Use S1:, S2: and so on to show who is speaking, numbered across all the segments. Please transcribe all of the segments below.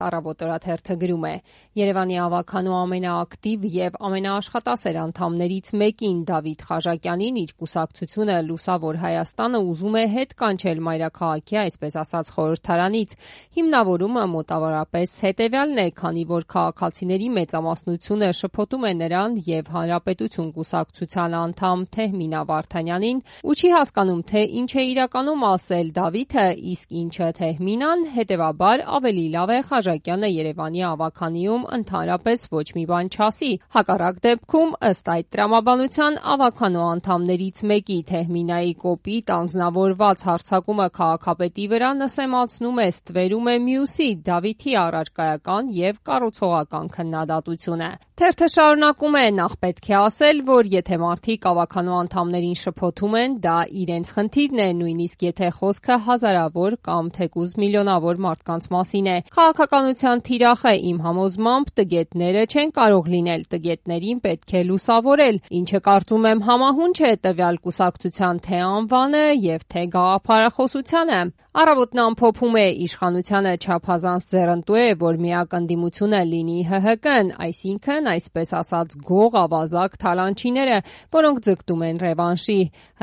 S1: Առավոտ-օրաթերթը գրում է. Երևանի ավականու ամենաակտիվ եւ ամենաաշխատասեր անդամներից մեկին Դավիթ Խաժակյանին իր կուսակցությունը Լուսավոր Հայաստանը ուզում է հետ կանչել մայրաքաղաքի, այսպես ասած, խորհրդարանից։ Հիմնավորումը մոտավորապես հետեւյալն է, քանի որ քաղաքացիների մեծամասնությունը շփոթում է նրան եւ Հանրապետություն կուսակցության անդամ Թեհմինա Վարդանյանին ու չի հասկանում, թե ինչ է իրականում ասել Դավիթը, իսկ ինչը Թեհմինան, հետեւաբար ավելի լավ է Խաժակյանը Երևանի ավականիում ընդհանրապես ոչ մի բան չասի։ Հակառակ դեպքում, ըստ այդ տրամաբանության, ավականու անդամներից մեկի Թեհմինայի կոպիտ անձնավորված հարձակումը քաղաքապետի վրա նսեմացնում է, ստվերում է մյուսի Դավիթի առարկայական եւ կառուցողական քննադատությունը։ Թերթը շարունակում է. նախ պետք է ասել, որ եթե մարդիկ ավականու անդամներին շփոթում են, դա իրենց խնդիրն է, նույնիսկ եթե խոսքը հազարավոր կամ թեկուզ միլիոնավոր մարդկանց մասին է։ Քաղաքականության թիրախը իմ համոզմամբ տգետները չեն կարող լինել, տգետներին պետք է լուսավորել, ինչը կարծում եմ համահունչ է տվյալ կուսակցության թե անվանը եւ թե գաղափարախոսությանը։ Առավոտն ամփոփում է. իշխանությանը չափազանց ձեռնտու է, որ միակ ընդդիմությունը լինի ՀՀԿ-ն, այսինքն, այսպես ասած, գող ավազակ թալանչիները, որոնք ձգտում են ռևանշի։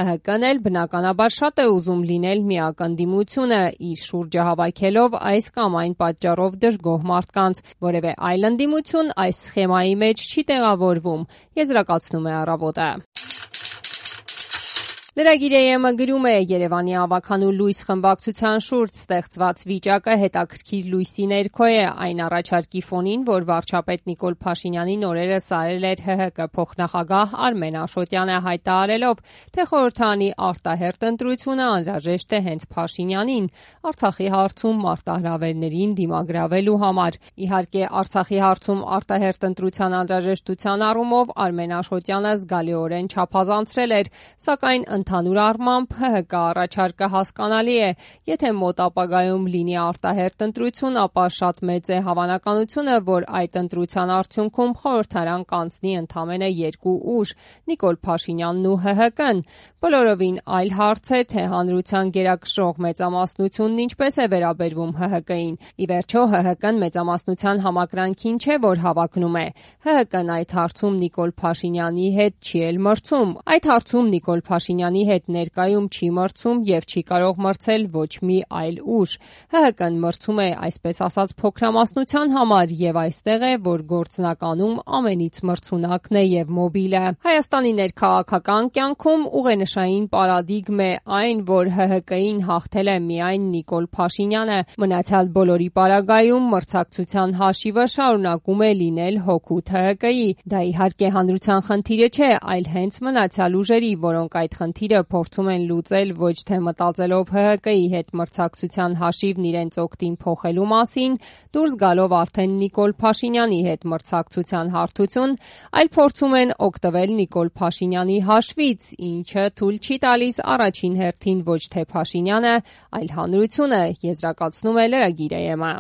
S1: ՀՀԿ-ն էլ բնականաբար շատ է ուզում լինել միակ ընդդիմությունը, իր շուրջը հավաքելով այս կամ այն պատճառով դժգոհ մարդկանց։ Որևէ այլ ընդդիմություն այս սխեմայի մեջ չի տեղավորվում, եզրակացնում է Առավոտը։ Լրագիր.am-ը գրում է. Երևանի ավականու լույս խմբակցության շուրջ ստեղծված վիճակը հետաքրքիր լույսի ներքո է այն առաջարկի ֆոնին, որ վարչապետ Նիկոլ Փաշինյանին օրերս արել էր ՀՀԿ փոխնախագահ Արմեն Աշոտյանը, հայտարարելով, թե խորհրդարանի արտահերթ ընտրությունը անհրաժեշտ է հենց Փաշինյանին Արցախի հարցում մարտահրավերներին դիմագրավելու համար։ Իհարկե, Արցախի հարցում արտահերթ ընտրության անհրաժեշտության առումով Արմեն Աշոտյանը զգալիորեն չափազանցրել էր, սակայն ընդհանուր առմամբ ՀՀԿ առաջարկը հասկանալի է։ Եթե մոտ ապագայում լինի արտահերթ ընտրություն, ապա շատ մեծ է հավանականությունը, որ այդ ընտրության արդյունքում խորհրդարան կանցնի ընդամենը երկու ուժ՝ Նիկոլ Փաշինյանն ու ՀՀԿ-ն։ Բոլորովին այլ հարց է, թե հանրության գերակշռող մեծամասնությունն ինչպես է վերաբերվում ՀՀԿ-ին։ Ի վերջո, ՀՀԿ-ն մեծամասնության համակրանքին չէ, որ հավակնում է։ ՀՀԿ-ն այդ հարցում Նիկոլ Փաշինյանի հետ չի էլ մրցում։ Այդ հարցում Նիկոլ Փաշինյանի հետ ներկայում չի մրցում եւ չի կարող մրցել ոչ մի այլ ուժ։ ՀՀԿ-ն մրցում է, այսպես ասած, փոքրամասնության համար եւ այստեղ է, որ գործնականում ամենից մրցունակն է եւ մոբիլը։ Հայաստանի ներքաղաքական կյանքում ուղենշային պարադիգմ է այն, որ ՀՀԿ-ին հաղթել է միայն Նիկոլ Փաշինյանը։ Մնացյալ բոլորի պարագայում մրցակցության հաշիվը շարունակում է լինել հօգուտ ՀՀԿ-ի։ Դա իհարկե հանրության խնդիրը չէ, այլ հենց մնացյալ ուժերի, որոնք այդ խնդիրը փորձում են լուծել ոչ թե մտածելով ՀՀԿ-ի հետ մրցակցության հաշիվն իրենց օգտին փոխելու մասին, դուրս գալով արդեն Նիկոլ Փաշինյանի հետ մրցակցության հարթություն, այլ փորձում են օգտվել Նիկոլ Փաշինյանի հաշվից, ինչը թույլ չի տալիս առաջին հերթին ոչ թե Փաշինյանը, այլ հանրությունը, եզրակացնում է Լրագիր.am-ը։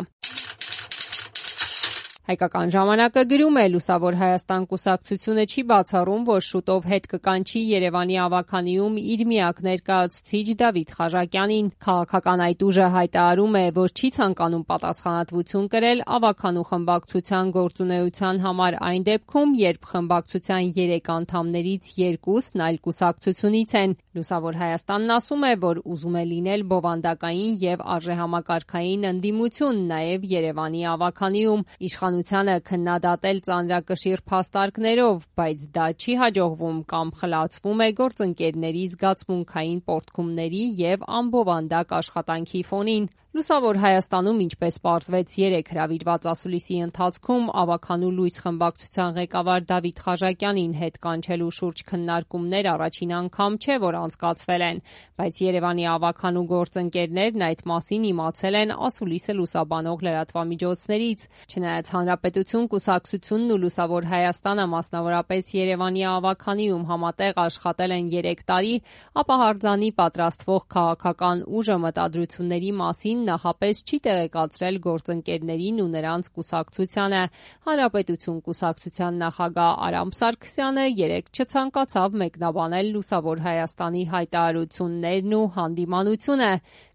S1: Հայկական ժամանակը գրում է. Լուսավոր Հայաստան կուսակցությունը չի բացառում, որ շուտով հետ կկանչի Երևանի ավականիում իր միակ ներկայացուցիչ Դավիթ Խաժակյանին։ Քաղաքական այդ ուժը հայտարարում է, որ չի ցանկանում պատասխանատվություն կրել ավականու խմբակցության գործունեության համար այն դեպքում, երբ խմբակցության 3 անդամներից 2-ն այլ կուսակցությունից են։ Լուսավոր Հայաստանն ասում է, որ ուզում է լինել բովանդակային եւ արժեհամակարգային ընդդիմություն նաեւ Երևանի ավականիում, իշխանությանը քննադատել ծանրակշիռ փաստարկներով, բայց դա չի հաջողվում կամ խլացվում է գործընկերների զգացմունքային պոռթկումների եւ անբովանդակ աշխատանքի ֆոնին։ Լուսավոր Հայաստանում, ինչպես պարզվեց 3 հրավիրված ասուլիսի ընթացքում, ավականու լույս խմբակցության ղեկավար Դավիթ Խաժակյանին հետ կանչելու շուրջ քննարկումներ առաջին անգամ չէ, որ անցկացվել են, բայց Երևանի ավականու գործընկերներն այդ մասին իմացել են ասուլիսը լուսաբանող լրատվամիջոցներից։ Չնայած Հանրապետություն կուսակցությունն ու Լուսավոր Հայաստանը մասնավորապես Երևանի ավականիում համատեղ աշխատել են 3 տարի, ապա հարձանի պատրաստվող քաղաքական ուժը մտադրությունների մասին նախապես չի տեղեկացրել գործընկերներին ու նրանց կուսակցությանը։ Հանրապետություն կուսակցության նախագահ Արամ Սարգսյանը երեկ չցանկացավ մեկնաբանել Լուսավոր Հայաստանի հայտարարություններն ու հանդիմանությունը,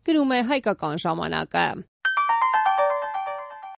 S1: գրում է Հայկական ժամանակը։